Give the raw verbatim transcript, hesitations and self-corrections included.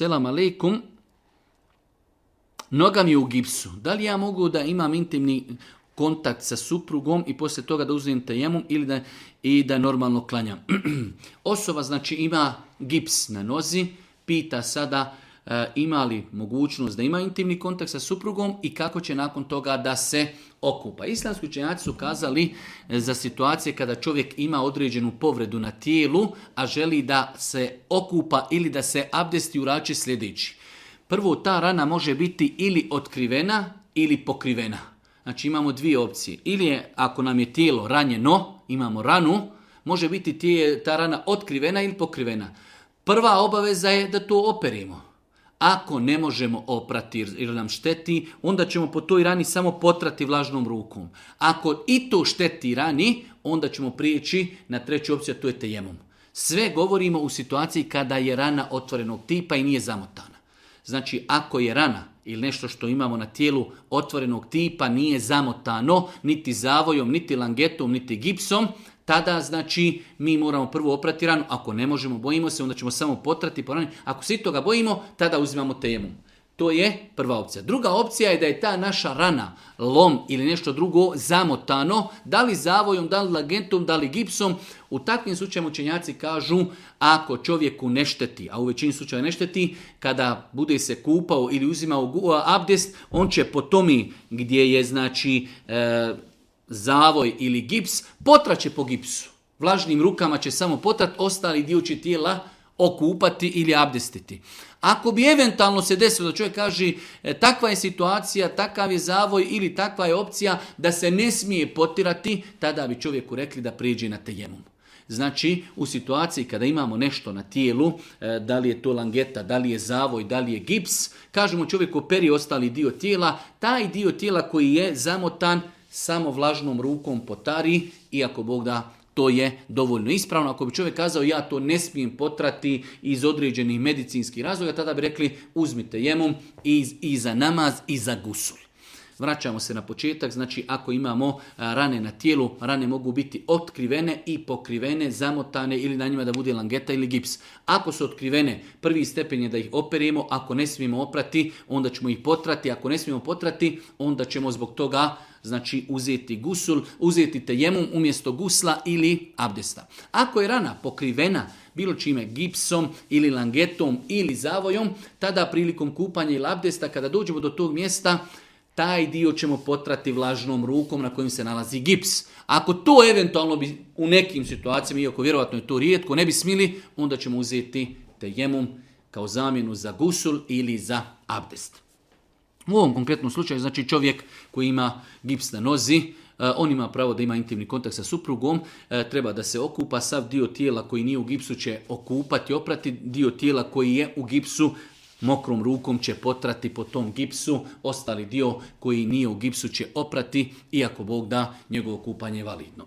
selam aleikum, noga mi je u gipsu. Da li ja mogu da imam intimni kontakt sa suprugom i poslije toga da uzmem tejemum ili da, i da normalno klanjam? Osoba znači ima gips na nozi, pita sada e, ima li mogućnost da ima intimni kontakt sa suprugom i kako će nakon toga da se okupa. Islamski učenjaci su kazali za situacije kada čovjek ima određenu povredu na tijelu, a želi da se okupa ili da se abdesti, urači sljedeći. Prvo, ta rana može biti ili otkrivena ili pokrivena. Znači imamo dvije opcije. Ili je, ako nam je tijelo ranjeno, imamo ranu, može biti tije, ta rana otkrivena ili pokrivena. Prva obaveza je da to operimo. Ako ne možemo oprati jer nam šteti, onda ćemo po toj rani samo potrati vlažnom rukom. Ako i to šteti rani, onda ćemo prijeći na treću opciju, a to je tejemum. Sve govorimo u situaciji kada je rana otvorenog tipa i nije zamotana. Znači, ako je rana ili nešto što imamo na tijelu otvorenog tipa nije zamotano, niti zavojom, niti langetom, niti gipsom, tada znači mi moramo prvo oprati ranu. Ako ne možemo, bojimo se, onda ćemo samo potrati po rani. Ako se toga bojimo, tada uzimamo tejemum. To je prva opcija. Druga opcija je da je ta naša rana, lom ili nešto drugo zamotano, da li zavojom, da li langetom, da li gipsom. U takvim slučajima učenjaci kažu, ako čovjeku ne šteti, a u većini slučajeva ne šteti, kada bude se kupao ili uzimao abdest, on će po tomi gdje je znači e, zavoj ili gips, potraće po gipsu. Vlažnim rukama će samo potrat, ostali dio će tijela okupati ili abdestiti. Ako bi eventualno se desilo da čovjek kaže e, takva je situacija, takav je zavoj ili takva je opcija da se ne smije potirati, tada bi čovjeku rekli da prijeđe na tejemum. Znači, u situaciji kada imamo nešto na tijelu, e, da li je to langeta, da li je zavoj, da li je gips, kažemo čovjeku operi ostali dio tijela, taj dio tijela koji je zamotan samo vlažnom rukom potari i ako Bog da, to je dovoljno ispravno. Ako bi čovjek kazao ja to ne smijem potrati iz određenih medicinskih razloga, tada bi rekli uzmite tejemum i, i za namaz i za gusul. Vraćamo se na početak, znači ako imamo rane na tijelu, rane mogu biti otkrivene i pokrivene, zamotane ili na njima da bude langeta ili gips. Ako su otkrivene, prvi stepen je da ih operemo, ako ne smijemo oprati, onda ćemo ih potrati, ako ne smijemo potrati, onda ćemo zbog toga znači uzeti gusul, uzeti tejemum umjesto gusla ili abdesta. Ako je rana pokrivena bilo čime, gipsom ili langetom ili zavojom, tada prilikom kupanja ili abdesta, kada dođemo do tog mjesta, taj dio ćemo potrati vlažnom rukom na kojim se nalazi gips. Ako to eventualno bi u nekim situacijama, iako vjerovatno je to rijetko, ne bi smili, onda ćemo uzeti tejemum kao zamjenu za gusul ili za abdest. U ovom konkretnom slučaju, znači čovjek koji ima gips na nozi, on ima pravo da ima intimni kontakt sa suprugom, treba da se okupa, sav dio tijela koji nije u gipsu će okupati, oprati, dio tijela koji je u gipsu mokrom rukom će potrati po tom gipsu, ostali dio koji nije u gipsu će oprati, iako Bog da, njegovo kupanje je validno.